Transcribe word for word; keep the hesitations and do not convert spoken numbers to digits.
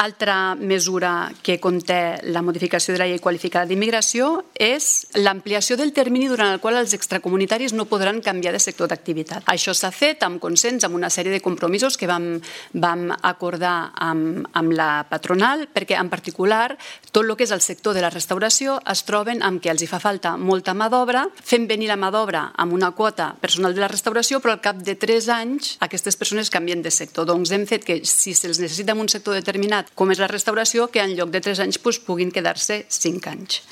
Altra mesura que conté la modificació de la llei qualificada d'immigració és l'ampliació del termini durant el qual els extracomunitaris no podran canviar de sector d'activitat. Això s'ha fet amb consens, amb una sèrie de compromisos que vam, vam acordar amb, amb la patronal, perquè en particular tot el que és el sector de la restauració es troben amb que els hi fa falta molta mà d'obra, fem venir la mà d'obra amb una quota personal de la restauració, però al cap de tres anys aquestes persones canvien de sector. Doncs hem fet que si se'ls necessita en un sector determinat com és la restauració, que en lloc de tres anys puguin quedar-se cinc anys.